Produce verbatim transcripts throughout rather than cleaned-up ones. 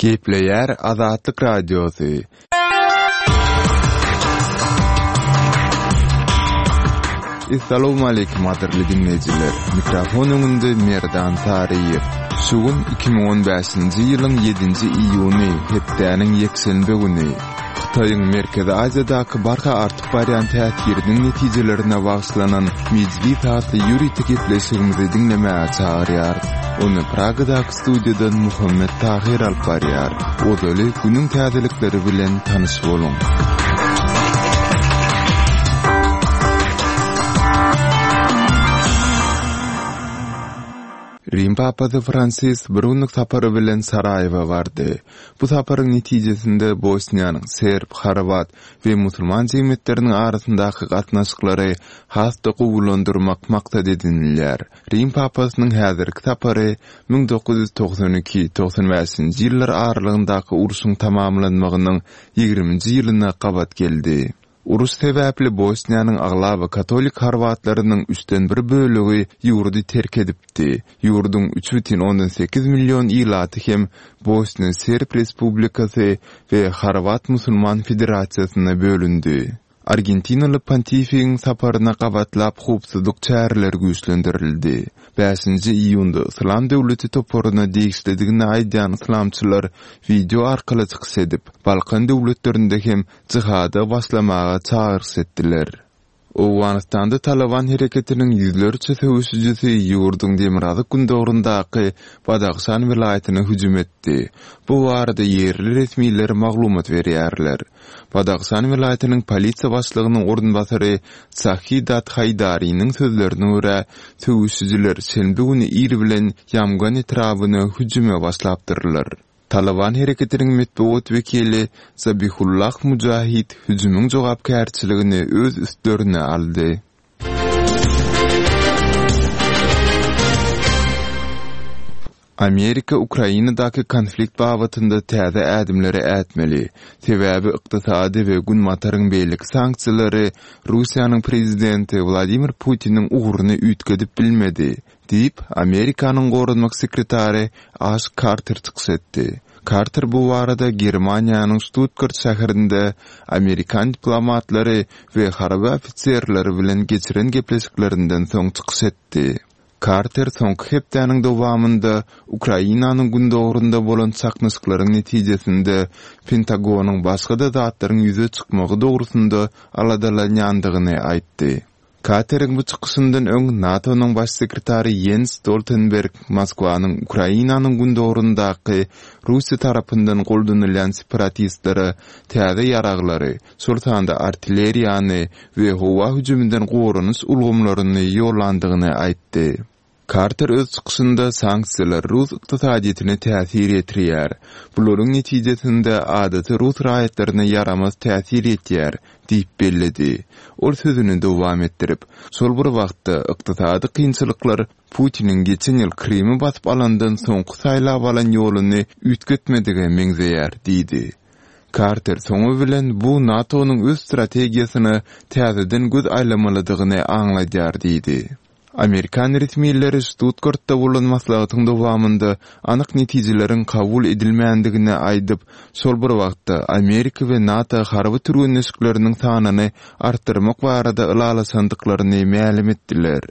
Gepleýär Azatlyk Radiosy. Essalawmaleýkim gadyrly diňleýjiler! Mikrofon öňünde Merdan Saryýew. Şu gün iki müň on bäşinji ýylyň ýedinji iýuny, hepdäniň ýekşenbe güni. Hytaýyň Merkezi Aziýadaky barha artyp barýan täsiriniň netijelerine bagyşlanan Mejlis atly ýörite gepleşigimizi diňlemäge çagyrýarys. Ony Pragadaky studiýadan Muhammet Tahyr alyp barýar. Ozaly günüň täzelikleri bilen tanyş boluň. Rim papasy Fransis bir günlük sapary bilen Saraýewa bardy. Bu saparyň netijesinde Bosniýanyň serb, horwat we musulman jemgyýetleriniň arasyndaky gatnaşyklary has-da gowulandyrmak maksat edinilýär. Rim papasynyň häzirki sapary müň dokuz ýüz togsan iki, togsan bäşinji ýyllar aralygyndaky urşuň tamamlanmagynyň ýigriminji ýylyna gabat geldi. Uruş sebäpli Bosniýanyň aglaba katolik horwatlarynyň üçden bir bölegi ýurdy terk edipdi. Ýurduň üç bütin ondan sekiz million ilaty hem Bosniýa Serb Respublikasy we Horwat Musulman Federasiýasyna bölündi. Argentinaly pontifigiň saparyna gabatlap howpsuzlyk çäreleri güýçlendirildi. Bäşinji iýunda Yslam döwleti toparyna degişlidigini aýdýan yslamçylar wideo arkaly çykyş edip, Balkan döwletlerinde hem jihada başlamaga çagyryş etdiler. Owganystanda Taliban hereketiniň ýüzlerçe söweşijisi ýurduň demirgazyk gündogaryndaky Badahşan welaýatyna hüjüm etdi. Bu barada ýerli resmiler maglumat berýärler. Badahşan welaýatynyň polisiýa başlygynyň orunbasary Sahidat Haýdariniň sözlerine görä, söweşijiler şenbe güni ir bilen Ýamgan etrabyna hüjüme başlapdyrlar. Taliban hereketiniň metbugat wekili Zabihullah Mujahid hüjümiň jogapkärçiligini öz üstlerine aldy. Amerika Ukrainadaky konflikt babatynda täze ädimleri ätmeli. Sebäbi ykdysady we Günbataryň beýleki sanksiýalary Russiýanyň prezidenti Wladimir Putiniň ugruny üýtgedip bilmedi, diýip, Amerikanyň goranmak sekretary Aş Karter çykyş etdi. Karter bu barada Germaniýanyň Stuttgart şäherinde amerikan diplomatlary we harby ofiserleri bilen geçiren gepleşiklerinden soň çykyş etdi. Karter soňky hepdäniň dowamynda Ukrainanyň gündogarynda bolan çaknyşyklaryň netijesinde Pentagonyň başga-da zatlaryň ýüze çykmagy dogrusynda aladalanýandygyny aýtdy. Karteriň bu çykyşyndan öň NATO-nyň baş sekretary Jens Stoltenberg Moskwanyň Ukrainanyň gündogaryndaky Russiýa tarapyndan goldanylýan separatistlere täze ýaraglary, şol sanda artilleriýany we howa hüjüminden goranyş ulgamlaryny ýollandygyny aýtdy. Karter öz çykyşynda sanksiýalar rus ykdysadyýetine täsir ýetirýär. Bularyň netijesinde adaty rus raýatlaryna ýaramaz täsir ýetýär, diýip belledi. Ol sözüni dowam etdirip, şol bir wagtda ykdysady kynçylyklar Putiniň geçen ýyl Krymy basyp alandan soňky saýlap alan ýoluny üýtgetmedige meňzeýär, diýdi. Karter soňy bilen bu NATO-nyň öz strategiýasyna täzeden göz aýlamalydygyny aňladýar, diýdi. Amerikan resmileri Stuttgartda bolan maslahatyň dowamynda anyk netijeleriň kabul edilmändigini aýdyp, şol bir wagtda Amerika we NATO harby türgenleşikleriniň sanyny artdyrmak barada ylalaşandyklaryny mälim etdiler.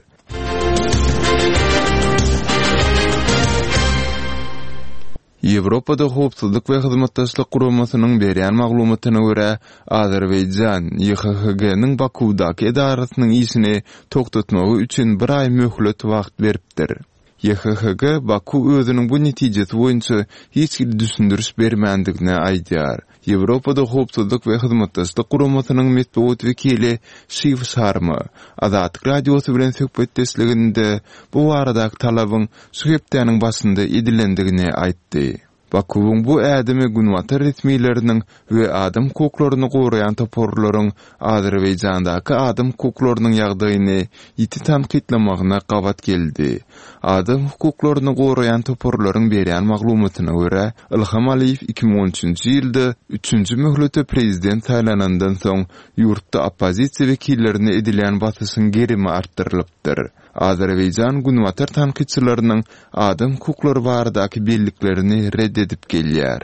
Ýewropada Howpsuzlyk we Hyzmatdaşlyk Guramasynyň berýän maglumatyna görä, Azerbaýjan Y H H G-niň Bakuwdaky edarasynyň işini togtatmagy üçin bir aý möhlet wagt beripdir. Y H H G Baku özüniň bu netijesi boýunça hiç hili düşündiriş bermändigini aýdýar. Ýewropada Howpsuzlyk we Hyzmatdaşlyk Guramasynyň metbugat wekili Şiw Şarma Azatlyk Radiosy bilen söhbetdeşliginde bu baradaky talabyň şu hepdäniň başynda edilendigini aýtdy. Bakuwyň bu ädimi Günbatar resmileriniň we adam hukuklaryny goraýan toparlaryň Azerbaýjandaky adam hukuklarynyň ýagdaýyny ýiti tankytlamagyna gabat geldi. Adam hukuklaryny goraýan toparlaryň berýän maglumatyna görä, Ilham Aliýew iki müň on üçünji ýylda üçünji möhlete prezident saýlanandan soň ýurtda oppozisiýa wekillerine edilýän basyşyň gerimi artdyrylypdyr. Azerbaýjan Günbatar tankytçylarynyň adam hukuklary baradaky belliklerini red edip gelýär.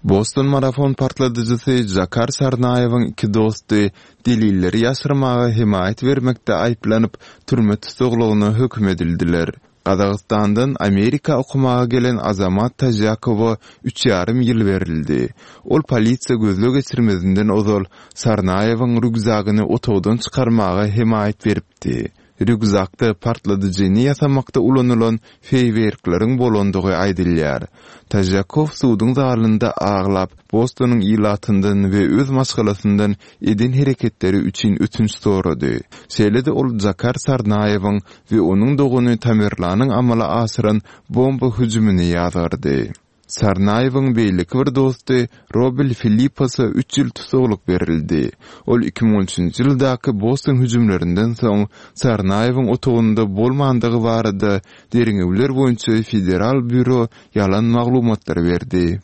Boston marafon partladyjysy Jakar Sarnaýewiň iki dosty delilleri ýaşyrmaga hemaýat bermekde aýyplanyp, türme tussaglygyna höküm edildiler. Gazagystandan Amerika okamaga gelen Azamat Tažakowa üç ýarym ýyl berildi. Ol polisiýa gözleg geçirmezinden ozal Sarnaýewiň rýukzagyny otagdan çykarmaga hemaýat beripdi. Rýukzakda partladyjyny ýasamakda ulanylan feýwerkleriň bolandygy aýdylýar. Tažakow suduň zalynda aglap, Bostonyň ilatyndan we öz maşgalasyndan eden hereketleri üçin ötünç sorady. Şeýle-de ol Jakar Sarnaýewiň we onuň dogany Tamerlanyň amala aşyran bomba hüjümini ýazgardy. Sarnaýewiň beýleki bir dosty Robel Filiposa üç ýyl tussaglyk berildi. Ol iki müň on üçünji ýyldaky Boston hüjümlerinden soň Sarnaýewiň otagynda bolmandygy barada derňewler boýunça federal býuro ýalan maglumatlar berdi.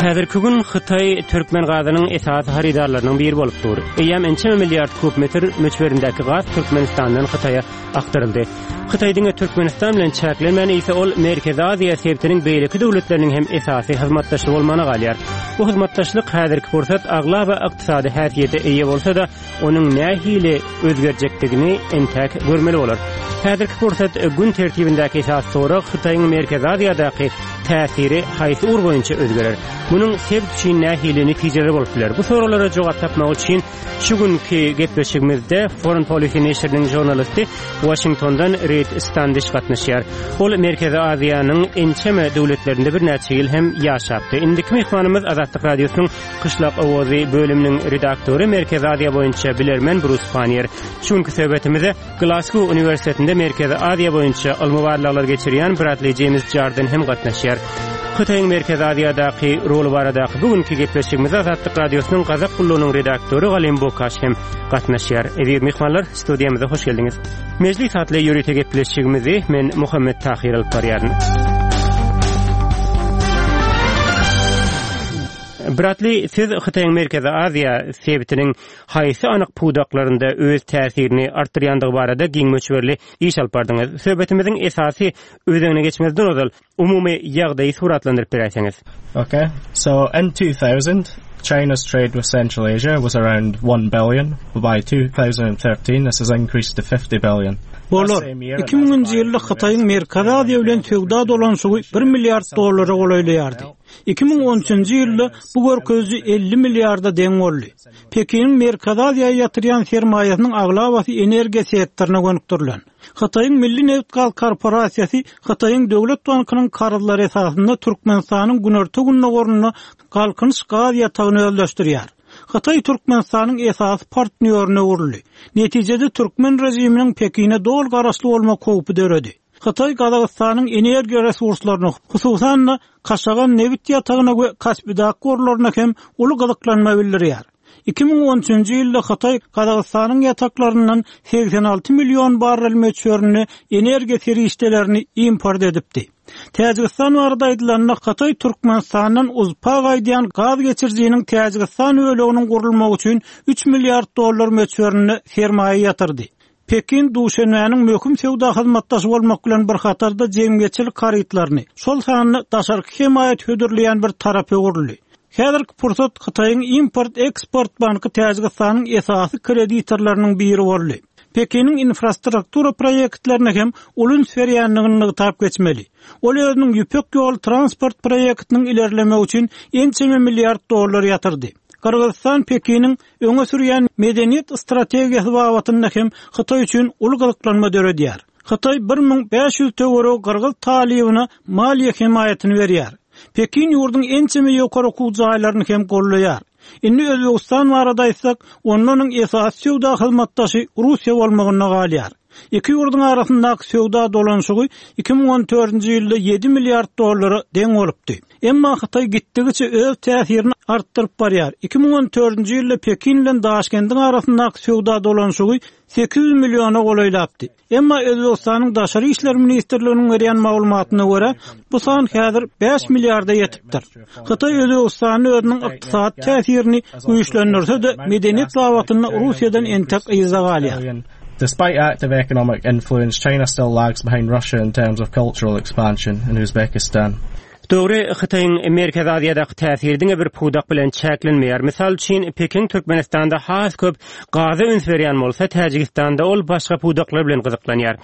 Häzirki gün Hytaý türkmen gazynyň esasy harydarlarynyň biri bolup dur. Eýýäm ençeme milliard kub metr möçberindäki gaz Türkmenistandan Hytaýa akdyryldy. Hytaý diňe Türkmenistan bilen çäklenmän, eýse ol Merkezi Aziýa sebitiniň beýleki döwletleriniň hem esasy hyzmatdaşy bolmagyna galýar. Bu hyzmatdaşlyk häzirki pursat aglaba ykdysady häsiýete eýe bolsa-da, onuň nähili özgerjekdigini entäk görmeli bolar. Häzirki pursat gün tertibindäki esas sorag Hytaýyň Merkezi Aziýadaky täsiri haýsy ugur boýunça özgerer? Munuň sebit üçin nähili netijeleri bolup biler? Bu soraglara jogap tapmak üçin şu günkü gepleşigimizde Foreign Policy neşiriniň žurnalisti Washingtondan Reid Standish gatnaşýar. Ol Merkezi Aziýanyň ençeme döwletlerinde birnäçe ýyl hem ýaşapdy. Indiki myhmanymyz Azatlyk Radiosynyň Gyşlak Owazy bölüminiň redaktory Merkezi Aziýa boýunça bilermen Brus Pannier. Şu günkü söhbetimize Glasgow Uniwersitetinde Merkezi Aziýa boýunça ylmy barlaglar geçirýän Bradley James Jardine hem gatnaşýar. Hytaýyň Merkezi Aziýadaky roly baradaky bugünkü gepleşigimize Azatlyk Radiosynyň Gazak gullugynyň redaktory Galim Bokaş hem gatnaşýar. Eziz myhmanlar, studiýamyza hoş geldiňiz. Mejlis atly ýörite gepleşigimizi men Muhammet Tahir alyp barýaryn. Bradley, siz Hytaýyň Merkezi Aziýa sebitiniň haýsy anyk pudaklarynda öz täsirini artdyrýandygy barada giň möçberli iş alyp bardyňyz. Söhbetimiziň esasy özegine geçmezden ozal umumy ýagdaýy suratlandyryp beräýseňiz. Okay. So in two thousand, China's trade with Central Asia was around one billion. By two thousand thirteen, this has increased to fifty billion. Bolar, iki müňünji ýylda Hytaýyň Merkezi Aziýa bilen söwda dolanyşygy bir milliard dollara golaýlaýardy. Iki müň on üçünji ýylda bu görkeziji elli milliarda deň boldy. Pekiniň Merkezi Aziýa ýatyrýan sermaýasynyň aglabasy energiýa sektoryna gönükdirilen. Hytaýyň Milli Nebit-gaz korporasiýasy Hytaýyň Döwlet bankynyň karzlary esasynda Türkmenistanyň günorta gündogarynda Galkynyş gaz ýatagyny özleşdirýär. Hytaý Türkmenistanyň esasy partnýoryna öwrüldi. Netijede türkmen režiminiň Pekine doly garaşly bolmak howpy döredi. Hytaý Gazagystanyň energiýa resurslaryna, hususan-da Kaşagan nebit ýatagyna we Kaspidak gorlaryna hem uly gyzyklanma bildirýär. Iki müň on üçünji ýylda Hytaý Gazagystanyň ýataklaryndan seksen alty million barrel möçberinde energiýa serişdelerini import edipdi. Täjigistan barada aýdylanda Hytaý Türkmenistandan uzpa gaýdýan gaz geçirijiniň Täjigistan böleginiň gurulmagy üçin üç milliard dollar möçberinde sermaýa ýatyrdy. Pekin Duşenbäniň möhüm söwda hyzmatdaşy bolmak bilen bir hatarda jemgyýetçilik harytlaryny, şol sanda daşarky hemaýat hödürleýän bir tarap öwrüldi. Häzirki pursat Hytaýyň import-eksport banky Täjigistanyň esasy kreditorlarynyň biri boldy. Pekiniň infrastruktura proýektlerine hem uly üns berýändigini nygtap geçmeli. Ol özüniň ýüpek ýol transport proýektiniň ilerlemegi üçin ençeme milliard dollar ýatyrdy. Gyrgyzystan Pekiniň öňe sürýän medeniýet strategiýasy babatynda hem Hytaý üçin uly gyzyklanma döredýär. Hytaý bir müň bäş ýüz töweregi gyrgyz talybyna maliýe hemaýatyny berýär. Pekin ýurduň ençeme ýokary okuw jaýlaryny hem gollaýar. Indi Özbegistan barada aýtsak, ondan esasy söwda hyzmatdaşy Russiýa bolmagyna galýar. Iki ýurduň arasyndaky söwda dolanyşygy iki müň on dördünji ýylda ýedi milliard dollara deň bolupdy. Emma Hytaý gitdigiçe öz täsirini artdyryp barýar. Iki müň on dördünji ýylda Pekin bilen Daşkendiň arasyndaky söwda dolanyşygy sekiz ýüz milliona golaýlapdy. Emma Özbegistanyň Daşary işler ministrliginiň berýän maglumatyna görä, bu san häzir bäş milliarda ýetipdir. Hytaý Özbegistany özüniň ykdysady täsirini güýçlendirse-de, medeniýet babatynda Russiýadan entek yza galýar. Despite active economic influence, China still lags behind Russia in terms of cultural expansion in Uzbekistan. Dogry, Hytaýyň Merkezi Aziýadaky täsiri diňe bir pudak bilen çäklenmeýär. Mysal üçin, Pekin Türkmenistanda has köp gaza üns berýän bolsa, Täjigistanda ol başga pudaklar bilen gyzyklanýar.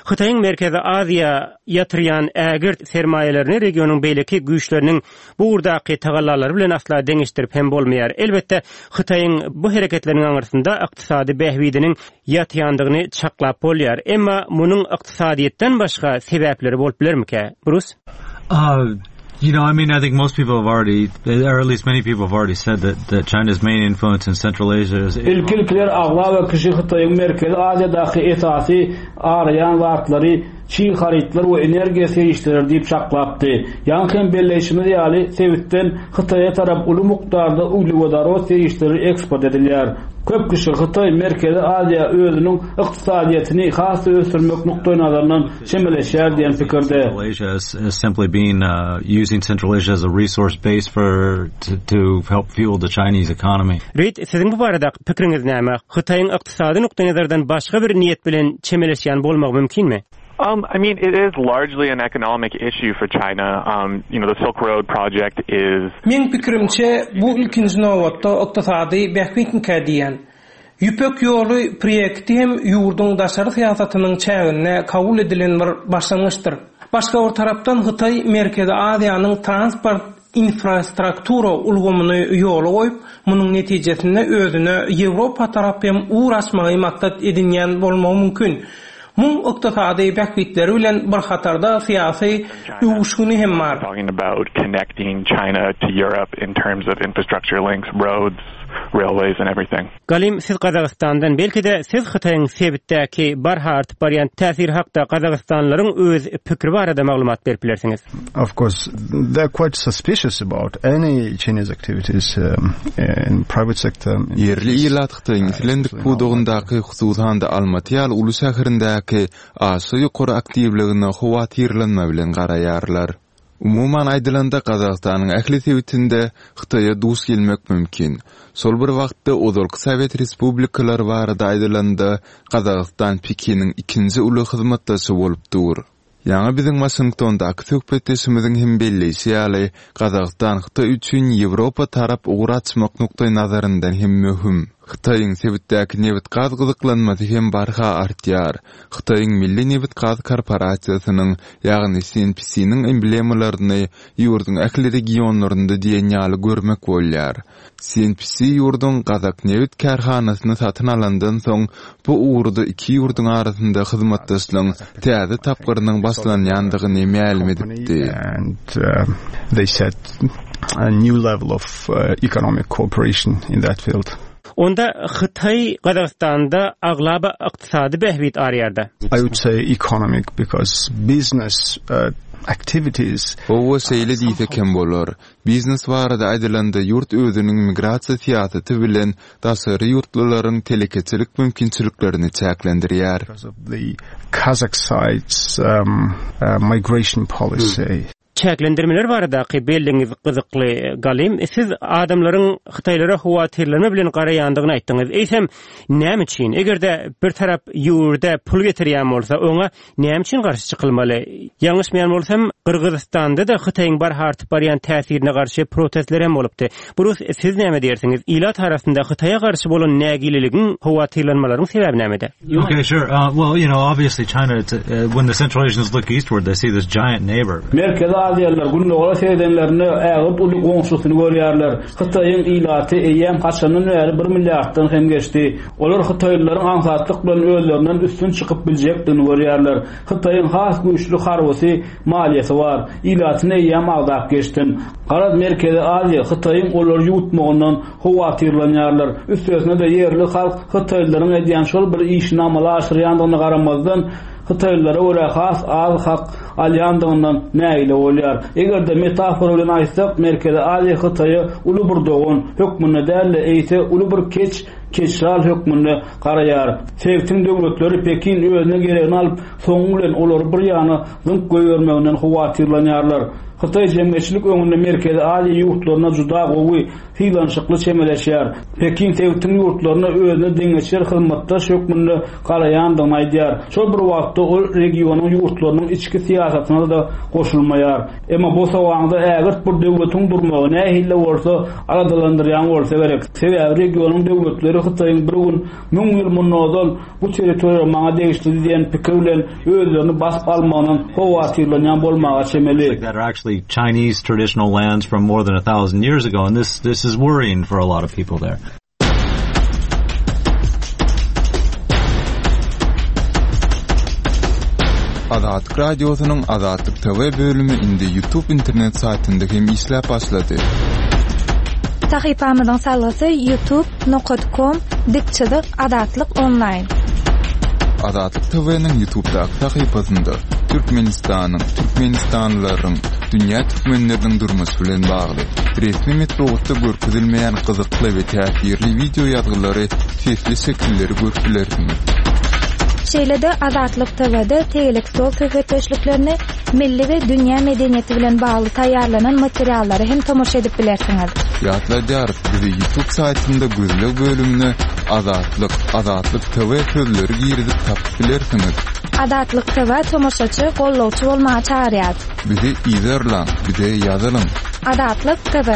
Hytaýyň Merkezi Aziýa ýatyrýan ägirt sermaýalaryny regionyň beýleki güýçleriniň bu ugurdaky tagallalary bilen asla deňeşdirip hem bolmaýar. Elbetde, Hytaýyň bu hereketleriniň aňyrsynda ykdysady bähbidiniň ýatýandygyny çaklap bolýar. Emma munuň ykdysadyýetden başga sebäpleri bolup bilermikä? Bruce? Uh, you know, I mean, I think most people have already, or at least many people have already said that, that China's main influence in Central Asia is... Ilki-ilkiler aglaba kişi Hytaýyň Merkezi Aziýadaky esasy araýan zatlary çig harytlar we energiýa serişdeleri diýip çaklapdy. Ýaňky hem belleýşimiz ýaly sebitden Hytaýa tarap uly mukdarda uglewodorod serişdeleri eksport edilýär. Köp kişi Hytaý Merkezi Aziýa özüniň ykdysadyýetini has ösdürmek nukdaý nazaryndan çemeleşýär diýen pikirde. Central Asia is, is simply being uh, using Central Asia as a resource base for to, to help fuel the Chinese economy. Reid, siziň bu barada pikiriňiz näme? Hytaýyň ykdysady nukdaý nazardan başga bir niýet bilen çemeleşýän bolmagy mümkinmi? Um, I mean, it is largely an economic issue for China. Um, you know, the Silk Road project is... Meň pikirimçe bu ilkinji nobatda ykdysady bähbitmikä diýen. Ýüpek ýoly proýekti hem ýurduň daşary syýasatynyň çäginde kabul edilen bir başlangyçdyr. Başga bir tarapdan Hytaý Merkezi Aziýanyň transport infrastruktura ulgamyny ýola goýup, munuň netijesinde özüne Ýewropa tarap hem ugur açmagy maksat edinýän bolmagy mümkin. Muň ykdysady bähbitleri bilen bir hatarda syýasy öwüşgini hem bar. Talking about connecting China to Europe in terms of infrastructure links, roads, railways and everything. Galim, siz Gazagystandan belki-de siz Hytaýyň sebitdäki barha artyp barýan täsiri hakda Gazagystanlylaryň öz pikiri barada maglumat berip bilersiňiz. Of course, they're quite suspicious about any Chinese activities um, in private sector. Ýerli ilat Hytaýyň islendik pudagyndaky hususan-da Almaty ýaly uly şäherindäki aşa ýokary aktiwligine howatyrlanma bilen garaýarlar. Umuman aýdylanda Gazagystanyň ähli sebitinde Hytaýa duş gelmek mümkin. Şol bir wagtda ozalky Sowet respublikalary barada aýdylanda Gazagystan Pekiniň ikinji uly hyzmatdaşy bolup dur. Ýaňy biziň Washingtondaky söhbetdeşimiziň hem belleýşi ýaly, Gazagystan Hytaý üçin Ýewropa tarap ugur açmak nukdaý nazaryndan hem möhüm. Hytaýyň sebitdäki nebit-gaz gyzyklanmasy hem barha artýar. Hytaýyň Milli nebit-gaz korporasiýasynyň, ýagny C N P C-niň emblemalaryny ýurduň ähli regionlarynda diýen ýaly görmek bolýar. C N P C ýurduň Gazak nebit kärhanasyny satyn alandan soň bu ugurda iki ýurduň arasynda hyzmatdaşlygyň täze tapgyrynyň başlanýandygyny mälim edipdi. And uh, they set a new level of uh, economic cooperation in that field. Onda Hytaý Gazagystanda aglaba ykdysady bähbit araýarda. I would say economic because business uh, activities Hawa şeýle diýsek hem bolar. Biznes barada aýdylanda ýurt özüniň migrasiýa syýasaty bilen daşary ýurtlylaryň telekeçilik mümkinçiliklerini çäklendirýär. Because of the Kazakh side's um, uh, migration policy. Çäklendirmeler baradaky belliňiz gyzykly Galim. Siz adamlaryň Hytaýlara howatyrlanma bilen garaýandygyny aýtdyňyz. Eýsem näme üçin? Eger-de bir tarap ýurda pul getirýän bolsa, oňa näme üçin garşy çykylmaly? Ýalňyşmaýan bolsam, Gyrgyzystanda-da Hytaýyň barha artyp barýan täsirine garşy protestler hem bolupdy. Bruce, siz näme diýersiňiz? Ilat arasynda Hytaýa garşy bolan nägileligiň, howatyrlanmalaryň sebäbi nämede? Okay, sure. Uh, well, you know, obviously China, it's, uh, when the Central Asians look eastward, they see this giant neighbor. Merkezi Aziýalylar gündogara seredenlerinde ägirt uly goňşusyny görýärler. Hytaýyň ilaty eýýäm haçandan bäri bir milliarddan hem geçdi. Olar Hytaýlylaryň aňsatlyk bilen özlerinden üstün çykyp biljekdigini görýärler. Hytaýyň has güýçli harbysy, maliýesi bar. Ilatyny eýýäm agdap geçdim. Garaz Merkezi Aziýa Hytaýyň olary ýuwutmagyndan howatyrlanýarlar. Üstesine de ýerli halk Hytaýlylaryň edýän şol bir işini amala aşyrýandygyna garamazdan Hytaýlylara görä has az hak alýandygyndan nägile bolýar. Eger-de metafora bilen aýtsak, Merkezi Aziýa Hytaýa uly bir dogan hökmünde däl-de, eýse uly bir keç keçjal hökmünde garaýar. Sebitiň döwletleri Pekin özüne geregini alyp, soňy bilen olary bir ýana zyňyp goýbermeginden howatyrlanýarlar. Hytaý jemgyýetçilik öňünde Merkezi Aziýa ýurtlaryna juda gowy sylanyşykly çemeleşýär. Pekin sebitiň ýurtlaryna özüne deňeçer hyzmatdaş hökmünde garaýandygyny aýdýar. Şol bir wagtda ol regionyň ýurtlarynyň içki syýasatyna da goşulmaýar. Emma bu sowaňda ägirt bir döwletiň durmagy nähili bolsa aladalandyrýan bolsa gerek. Sebäbi regionyň döwletleri Hytaýyň bir gün müň ýyl mundan bu territoriýa maňa degişli diýen pikir bilen özlerini basyp almagynyň howatyrlanýan bolmaga çemeli. That are actually Chinese traditional lands from more than a thousand years ago, and this this is worrying for a lot of people there. Azatlyk Radiosynyň Azatlyk TV bölümi indi YouTube internet saýtynda hem işläp başlady. Sahypamyzyň salgysy youtube.com dik çyzyk Azatlyk onlaýn. Azatlyk TV'niň YouTube'daky sahypasynda Türkmenistanyň, Türkmenistanlylaryň, dünýä türkmenleriniň durmuşy bilen bagly resmi metbugatda görkezilmeýän gyzykly we täsirli wideo ýazgylary, sesli şekilleri görüp bilersiňiz. Şeýle-de Azatlyk TV'de tegelek stol söhbetdeşliklerini milli we dünýä medeniýeti bilen bagly taýýarlanan materiallary hem tomaşa edip bilersiňiz. Ýatladýarys, bizi YouTube saýtynda gözleg bölümine Azatlyk, Azatlyk TV sözleri girizip tapyp bilersiňiz. Azatlyk TV tomaşaçy, gollawçy bolmaga çagyrýar. Bizi izerläň, bize ýazylyň. Azatlyk TV.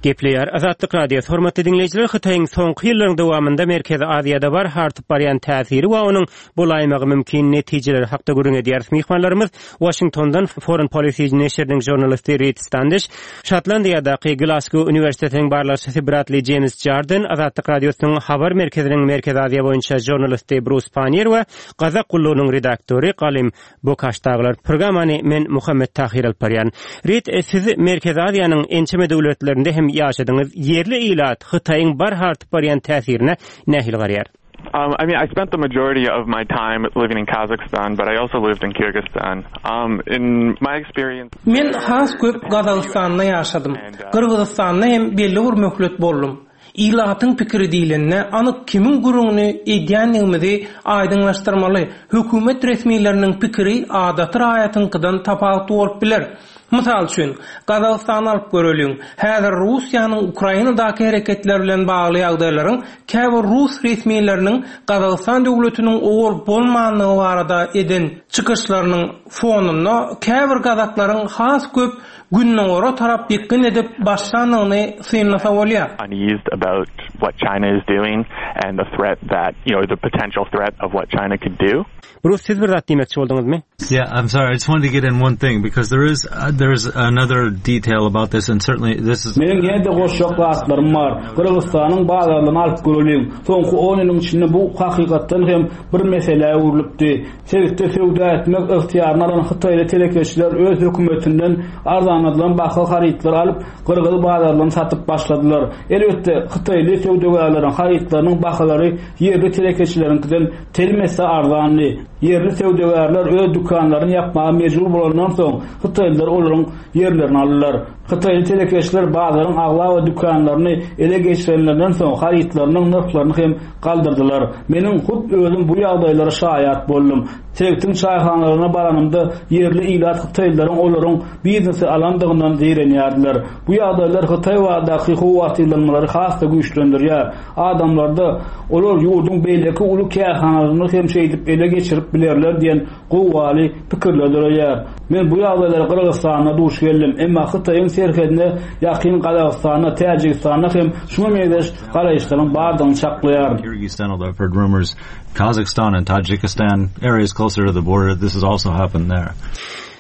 Gepleýär Azatlyk Radiosy. Hormatly diňleýjiler, Hytaýyň soňky ýyllaryň dowamynda Merkezi Aziýada barha artyp barýan täsiri we onuň bolaýmagy mümkin netijeleri hakda gürrüň edýäris. Myhmanlarymyz Washingtondan Foreign Policy neşiriniň žurnalisti Reed Standish, Şotlandiýadaky Glasgow uniwersitetiniň barlagçysy Bradley James Jarden, Azatlyk Radiosynyň habar merkeziniň Merkezi Aziýa boýunça žurnalisti Bruce Pannier we Gazak gullugynyň redaktory Galim Bokaş dagylar. Programmany men Muhammet Tahir alyp barýan. Reed, siz Merkezi Aziýanyň ençeme döwletlerinde hem ýaşadyňyz. Ýerli ilat Hytaýyň barha artyp barýan täsirine nähili garaýar? Um, I mean, I spent the majority of my time living in Kazakhstan, but I also lived in Kyrgyzstan. Um, in my experience... Men has köp Gazagystanda ýaşadym. Gyrgyzystanda hem belli bir möhlet boldum. Ilatyň pikiri diýlende, anyk kimiň gürrüňini edýändigimizi aýdyňlaşdyrmaly. Hökümet resmileriniň pikiri adaty raýatyňkydan tapawutly bolup biler. Mysal üçin, Gazagystany alyp göreliň. Häzir Russiýanyň Ukrainadaky hereketler bilen bagly ýagdaýlaryň käbir rus resmileriniň Gazagystan döwletiniň owal bolmandygy barada eden çykyşlarynyň fonunda käbir gazaklaryň has köp gündogara tarap ýykgyn edip başlandygyny synlasa bolýar. uneased about what China is doing and the threat that, you know, the potential threat of what China could do. Bruce, siz bir zat diýmekçi bolduňyzmy? Yeah, I'm sorry. I just wanted to get in one thing because there is uh, there's another detail about this, and certainly this is. Meniň ýene-de goşjak zatlarym bar. Gyrgyzystanyň bazarlaryny alyp göreliň. Soňky on ýylyň içinde bu hakykatdan hem bir meselä öwrülipdi. Sebitde söwda etmek ygtyýaryny alan Hytaýly telekeçiler öz hökümetinden arzanladylan baha harytlar alyp, Gyrgyz bazarlaryny satyp başladylar. Elbetde, Hytaýly söwdagärleriň harytlarynyň bahalary ýerli telekeçileriňkiden telim esse arzandy. Ýerli söwdagärler öz dükanlaryny ýapmaga mejbur bolandan soň Hytaýlylar olaryň ýerlerini aldylar. Hytaýly telekeçiler bazaryň aglaba dükanlaryny ele geçirenlerinden soň harytlarynyň nyrhlaryny hem galdyrdylar. Meniň hut özüm bu ýagdaýlara şaýat boldum. Sebitiň çaýhanalaryna baranymda ýerli ilat Hytaýlylaryň olaryň biznesi alandygyndan zeýrenýärdiler. Bu ýagdaýlar Hytaý baradaky howatyrlanmalary has-da güýçlendirýär. Adamlarda olar ýurduň beýleki uly kärhanalaryny hem şeýdip ele geçirip bilerler diýen gowgaly pikirler döreýär. Men bu ýagdaýlara Gyrgyzystanda duş geldim. Emma Hytaýyň serhedine ýakyn Gazagystanda, Täjigistanda hem şuňa meňzeş garaýyşlaryň bardygyny çaklaýaryn. Kyrgyzstan, although I've heard rumors, Kazakhstan and Tajikistan, areas closer to the border, this has also happened there.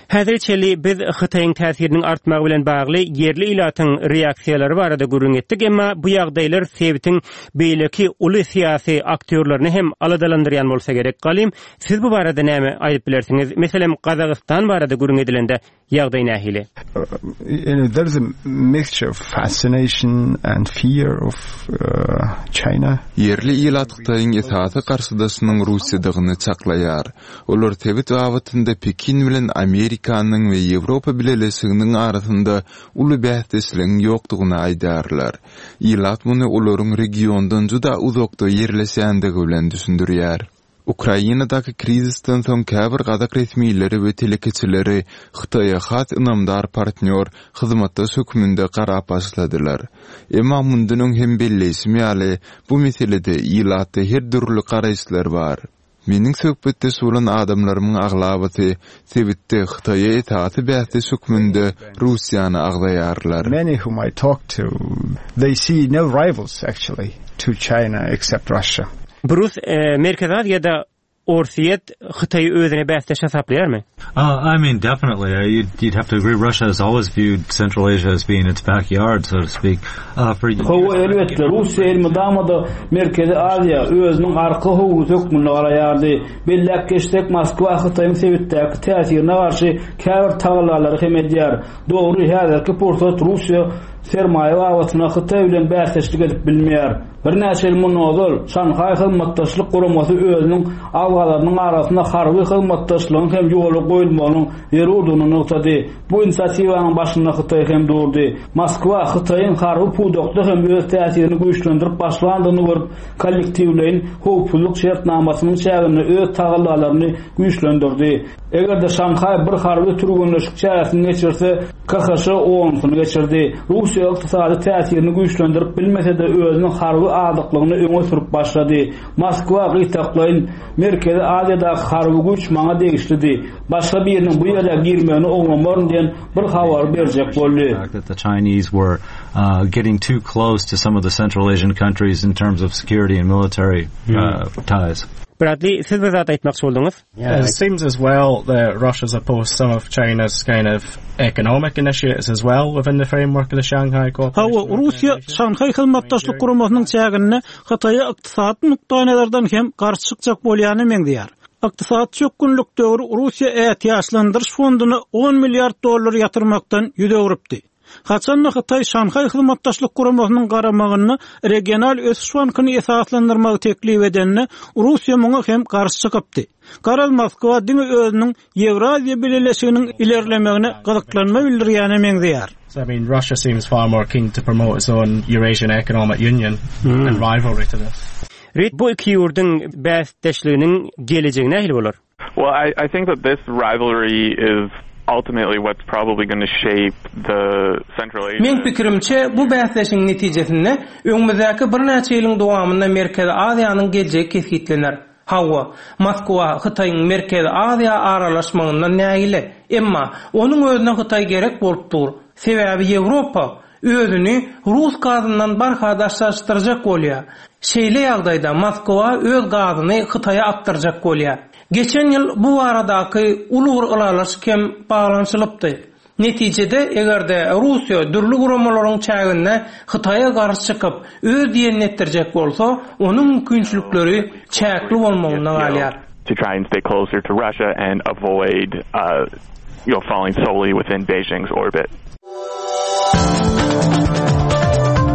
Häzir çenli biz Hytaýyň täsiriniň artmagy bilen bagly ýerli ilatyň reaksiýalary barada gürrüň etdik, emma bu ýagdaýlar sebitiň beýleki uly syýasy aktýorlaryny hem aladalandyrýan bolsa gerek. Galim, siz bu barada näme aýdyp bilersiňiz? Meselem, Gazagystan barada gürrüň edilende Ýagdaý nähili? You know, there's a mixture of fascination and fear of uh, China. Ýerli ilat Hytaýyň esasy garşydaşynyň Russiýadygyny çaklaýar. Olar sebit babatynda Pekin bilen Amerikanyň we Ýewropa Bileleşiginiň arasynda uly bäsdeşligiň ýokdugyny aýdýarlar. Ilat muny olaryň regiondan juda uzakda ýerleşýändigi bilen düşündirýär. Ukrainadaky krizisden soň käbir gazak resmileri we telekeçileri Hytaýa has ynamdar partnýor, hyzmatdaş hökmünde garap başladylar. Emma mundan öň hem belleýşim ýaly, bu meselede ilatda her dürli garaýyşlar bar. Meniň söhbetdeş bolan adamlarymyň aglabasy sebitde Hytaýa esasy bäsdeş hökmünde Russiýany agzaýarlar. Many whom I talk to, they see no rivals actually to China except Russia. Brus, e, Merkezi Aziýada Orsýet Hytaýy özüne bäsdeş hasaplaýarmy? Uh, I mean, definitely. Uh, you'd, you'd have to agree. Russia has always viewed Central Asia as being its backyard, so to speak. Uh, for Hawa, elbetde, Russiýa elmydama-da Merkezi Aziýa özüniň arka howlusy hökmünde garaýardy. Belläp geçsek, Moskwa Hytaýyň sebitdäki täsirine garşy käbir tagallalary hem edýär. Dogry, häzirki pursat Russiýa sermaýa babatynda Hytaý bilen bäsdeşlik edip bilmeýär. Birnäçe ýyl mundan ozal Şanhaý hyzmatdaşlyk guramasy özüniň agzalarynyň arasynda harby hyzmatdaşlygyň hem ýola goýulmagynyň zerurdygyny nygtady. Bu inisiatiwanyň başynda Hytaý hem durdy. Moskwa Hytaýyň harby pudakda hem öz täsirini güýçlendirip başlandygyny görüp, kollektiwleýin howpsuzlyk şertnamasynyň çäginde öz tagallalaryny güýçlendirdi. Eger-de Şanhaý bir harby türgenleşik çäresini geçirse, K H Ş onusyny geçirdi. Russiýa ykdysady täsirini güýçlendirip bilmese-de özüniň harby azyklygyny öňe sürüp başlady. Moskwa gytaklaýyn Merkezi Aziýadaky harby güýç maňa degişlidi. Başga biriniň bu ýere girmegini oňlamaryn diýen bir habary berjek boldy. The fact that the Chinese were uh, getting too close to some of the Central Asian countries in terms of security and military uh, ties. Bradley, siz bir zat aýtmakçy bolduňyz? It seems as well that Russia's opposed some of China's kind of economic initiatives as well within the framework of the Shanghai Cooperation. Hawa, Russiýa Şanhaý hyzmatdaşlyk guramasynyň çäginde Hytaýa ykdysady nukdaýnazardan hem garşy çykjak bolýany meňzeýär. Ykdysady çökgünlik döwri Russiýa ätiýaçlandyryş fonduny on milliard dollar ýatyrmakdan ýüz öwrüpdi. Haçanda Hytaý Şanhaý hyzmatdaşlyk guramasynyň garamagynda regional ösüş bankyny esaslandyrmagy teklip edende Russiýa muňa hem garşy çykypdy. Garaz Moskwa diňe özüniň Ýewraziýa Bileleşiginiň ilerlemegine gyzyklanma bildirýäne meňzeýär. So, I mean, Russia seems far more keen to promote its own Eurasian Economic Union in rivalry to this. Reed, bu iki ýurduň bäsdeşliginiň gelejegi nähili bolar? Well, I, I think that this rivalry is ultimately what's probably going to shape the Central Asia. Meň pikirimçe bu bäsdeşiň netijesinde öňümizdäki birnäçe ýylyň dowamynda Merkezi Aziýanyň geljegi kesgitlener. Hawa, Moskwa Hytaýyň Merkezi Aziýa aralaşmagyndan nägile. Emma onuň özüne Hytaý gerek bolup dur. Sebäbi Ýewropa özüni Rus gazyndan barha daşlaşdyrjak bolýar. Şeýle ýagdaýda Moskwa öz gazyny Hytaýa akdyrjak bolýar. Geçen ýyl bu baradaky uly bir ylalaşyk hem baglanyşylypdy. Netijede eger-de Russiýa dürli guramalaryň çäginde Hytaýa garşy çykyp öz diýenini etdirjek bolsa, onuň mümkinçilikleri çäkli bolmagynda galýar. To try and stay closer to Russia and avoid uh, you know, falling solely within Beijing's orbit.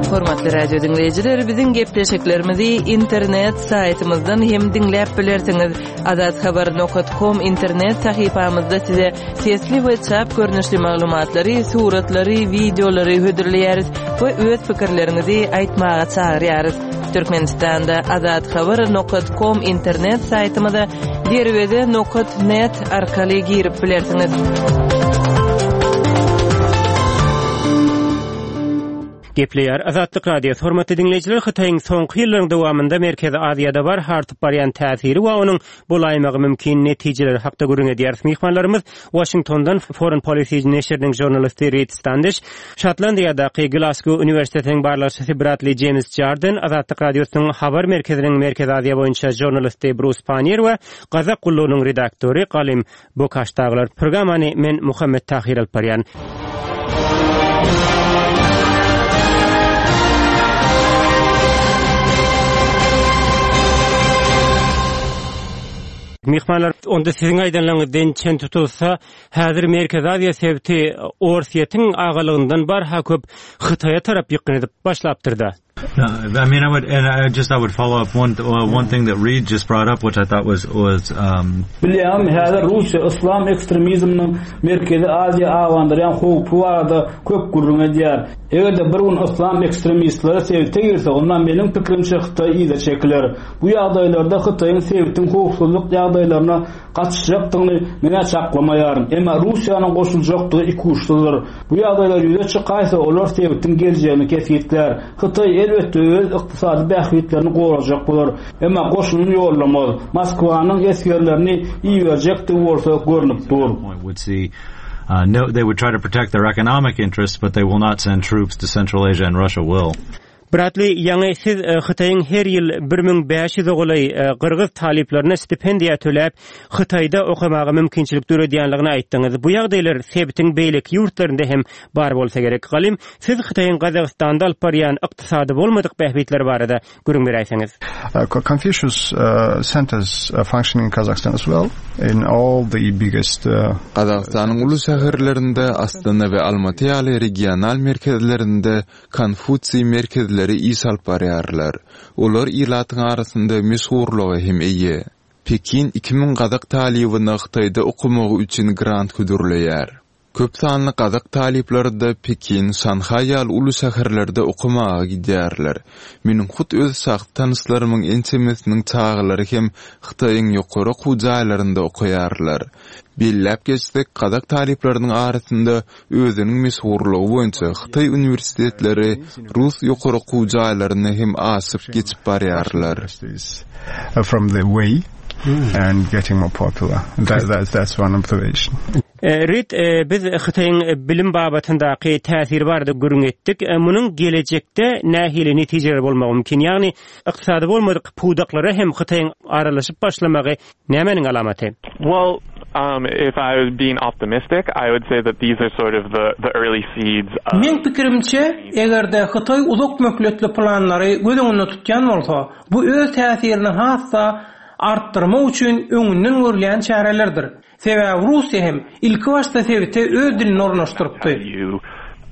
Hormatly radio diňleýjiler, biziň gepleşiklerimizi internet saýtymyzdan hem diňläp bilersiňiz. Azathabar nokta com internet sahypamyzda size sesli we çap görnüşli maglumatlary, suratlary, wideolary hödürleýäris we öz pikirleriňizi aýtmaga çagyrýarys. Türkmenistanda azathabar nokta com internet saýtymyza derweze nokta net arkaly girip bilersiňiz. Gepleýär Azatlyk Radiosy. Hormatly diňleýjiler, Hytaýyň soňky ýyllaryň dowamynda Merkezi Aziýada barha artyp barýan täsiri we onuň bolaýmagy mümkin netijeleri hakda gürrüň edýäris. Myhmanlarymyz Washingtondan Foreign Policy neşiriniň žurnalisti Reed Standish, Şotlandiýadaky Glasgow Uniwersitetiniň barlagçysy Bradley James Jarden, Azatlyk Radiosynyň habar merkeziniň Merkezi Aziýa boýunça žurnalisti Bruce Pannier we Gazak gullugynyň redaktory Galim Bokaş dagylar. Programmany men Muhammet Tahir alyp barýan. Myhmanlar, onda siziň aýdanlaryňyzdan çen tutulsa, häzir Merkezi Aziýa sebiti Orsýetiň agalygyndan barha köp Hytaýa tarap ýykgyn edip başlapdyr-da. No, I mean, I would, and I just I would follow up one uh, one thing that Reed just brought up, which I thought was was. Um, Bilýäňmi, häzir Russiýa yslam ekstremizminiň Merkezi Aziýa abandyrýan howpy barada köp gürrüň edýär. Eger-de bir gün yslam ekstremistleri sebite girse, onda meniň pikirimçe Hytaý yza çekiler. Bu ýagdaýlarda Hytaýyň sebitiň howpsuzlyk ýagdaýlaryna gatyşjakdygyny men çaklamaýaryn. Emma Russiýanyň goşuljakdygy ikuçsuzdyr. Bu ýagdaýlar ýüze çykaýsa, olar sebitiň geljegini kesgitlär. Hytaý elbetde öz ykdysady bähbitlerini gorajak bolar. Emma goşunyny ýollamaz. Moskwanyň esgerlerini iberjekdigi bolsa görnüp dur. would see uh, no, they would try to protect their economic interests, but they will not send troops to Central Asia, and Russia will. Bradley, ýaňy siz e, Hytaýyň her ýyl bir müň bäş ýüze golaý e, gyrgyz talyplaryna stipendiýa töläp, Hytaýda okamaga mümkinçilik döredýänligini aýtdyňyz. Bu ýagdaýlar sebitiň beýleki ýurtlarynda hem bar bolsa gerek. Galym, siz Hytaýyň Gazagystanda alyp barýan ykdysady bolmadyk bähbitleri barada gürrüň beräýseňiz. Uh, Confucius uh, centers uh, functioning in Kazakhstan as well in all the biggest uh, Gazagystanyň uly şäherlerinde Astana we Almaty ýaly regional merkezlerinde Konfusiý merkezleri iş alyp barýarlar. Olar ilatyň arasynda meşhurlyga hem eýe. Pekin iki müň gazak talybyna Hytaýda okamagy üçin grant hödürleýär. Köp sanly gazak talyplary-da Pekin, Şanhaý ýaly uly şäherlerde okamaga gidýärler. Meniň hut öz şahsy tanyşlarymyň ençemesiniň çagalary hem Hytaýyň ýokary okuw jaýlarynda okaýarlar. Belläp geçsek, gazak talyplarynyň arasynda özüniň meşhurlygy boýunça Hytaý uniwersitetleri Rus ýokary okuw jaýlaryny hem aşyp geçip barýarlar. from the way and getting more popular. That, that, that's one observation. Reed, biz Hytaýyň bilim babatyndaky täsiri barada gürrüň etdik. Munuň gelejekde nähili netijeler bolmagy mümkin? Ýagny ykdysady bolmadyk pudaklara hem Hytaýyň aralaşyp başlamagy nämäniň alamaty? Well, um, if I was being optimistic, I would say that these are sort of the, the early seeds of Meň pikirimçe, eger-de Hytaý uzak möhletli planlary göz öňünde tutýan bolsa, bu öz täsirini has-da artdyrmak üçin öňünden görülýän çärelerdir. Sebäbi Russiýa hem ilki başda sebite öz dilini ornaşdyrypdy. you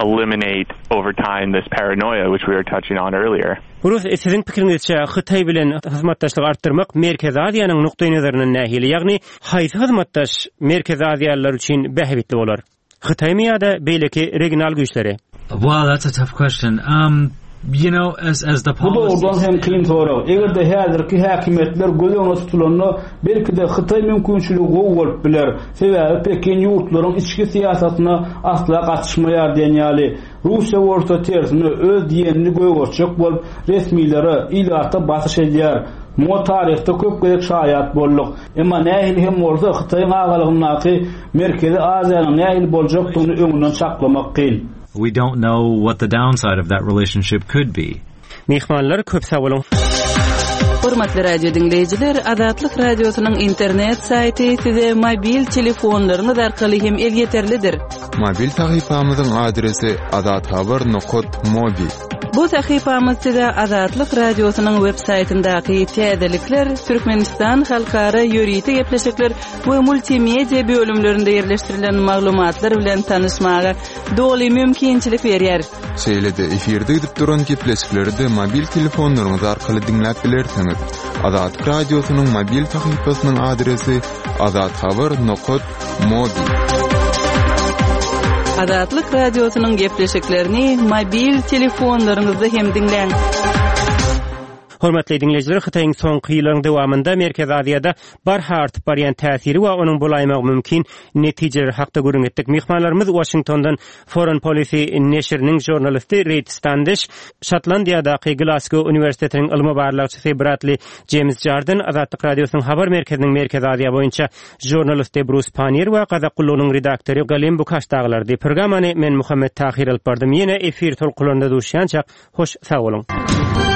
eliminate over time this paranoia which we were touching on earlier. Rus, siziň pikiriňizçe Hytaý bilen hyzmatdaşlygy artdyrmak Merkezi Aziýanyň nukdaý nazaryndan nähili? Ýagny haýsy hyzmatdaş Merkezi Aziýalylar üçin bähbitli bolar? Hytaýmy ýa-da beýleki regional güýçleri? Well, that's a tough question. Um, you know, as as the Bu dogrudan hem kyn sorag. Eger-de häzirki häkimiýetler göz öňünde tutulanda, belki-de Hytaý mümkinçiligi gowy bolup biler. Sebäbi Pekin ýurtlaryň içki syýasatyna asla gatyşmaýar diýen ýaly. Russiýa bolsa tersine öz diýenini gögertjek bolup, resmilere, ilata basyş edýär. Muňa taryhda köp gezek şaýat bolduk. Emma nähili hem bolsa Hytaýyň agalygyndaky Merkezi Aziýanyň nähili boljakdygyny öňünden çaklamak kyn. We don't know what the downside of that relationship could be. Myhmanlar köp sag boluň. Hormatly radio diňleýjiler, Azatlyk radiosynyň internet saýty size mobil telefonlaryňyz arkaly hem elýeterlidir. Mobil sahypamyzyň adresi azathabar nokta mobi. Bu sahypamyz size Azatlyk radiosynyň web saýtyndaky täzelikler, Türkmenistan halkara ýörite gepleşikler we multimedia bölümlerinde ýerleşdirilen maglumatlar bilen tanyşmaga doly mümkinçilik berýär. Şeýle-de efirde gidip duran gepleşikleri de mobil telefonlaryňyz arkaly diňläp bilersiňiz. Azatlyk radiosynyň mobil sahypasynyň adresi azathabar nokta mobi. Azatlyk radiosynyň gepleşiklerini mobil telefonlaryňyzda hem diňläň. Hormatly diňleýjiler, Hytaýyň soňky ýyllaryň dowamynda Merkezi Aziýada barha artyp barýan täsiri we onuň bolaýmagy mümkin netijeleri hakda gürrüň etdik. Myhmanlarymyz Washingtondan Foreign Policy neşiriniň žurnalisti Reed Standish, Şotlandiýadaky Glasgow Uniwersitetiniň ylmy barlagçysy Bradley James Jardine, Azatlyk radiosynyň habar merkeziniň Merkezi Aziýa boýunça žurnalisti Bruce Pannier we Gazak gullugynyň redaktory Galim Bukaş dagylardy. Programmany men Muhammet Tahir alyp bardym. Ýene efir tolkunlarynda duşýança hoş sag boluň.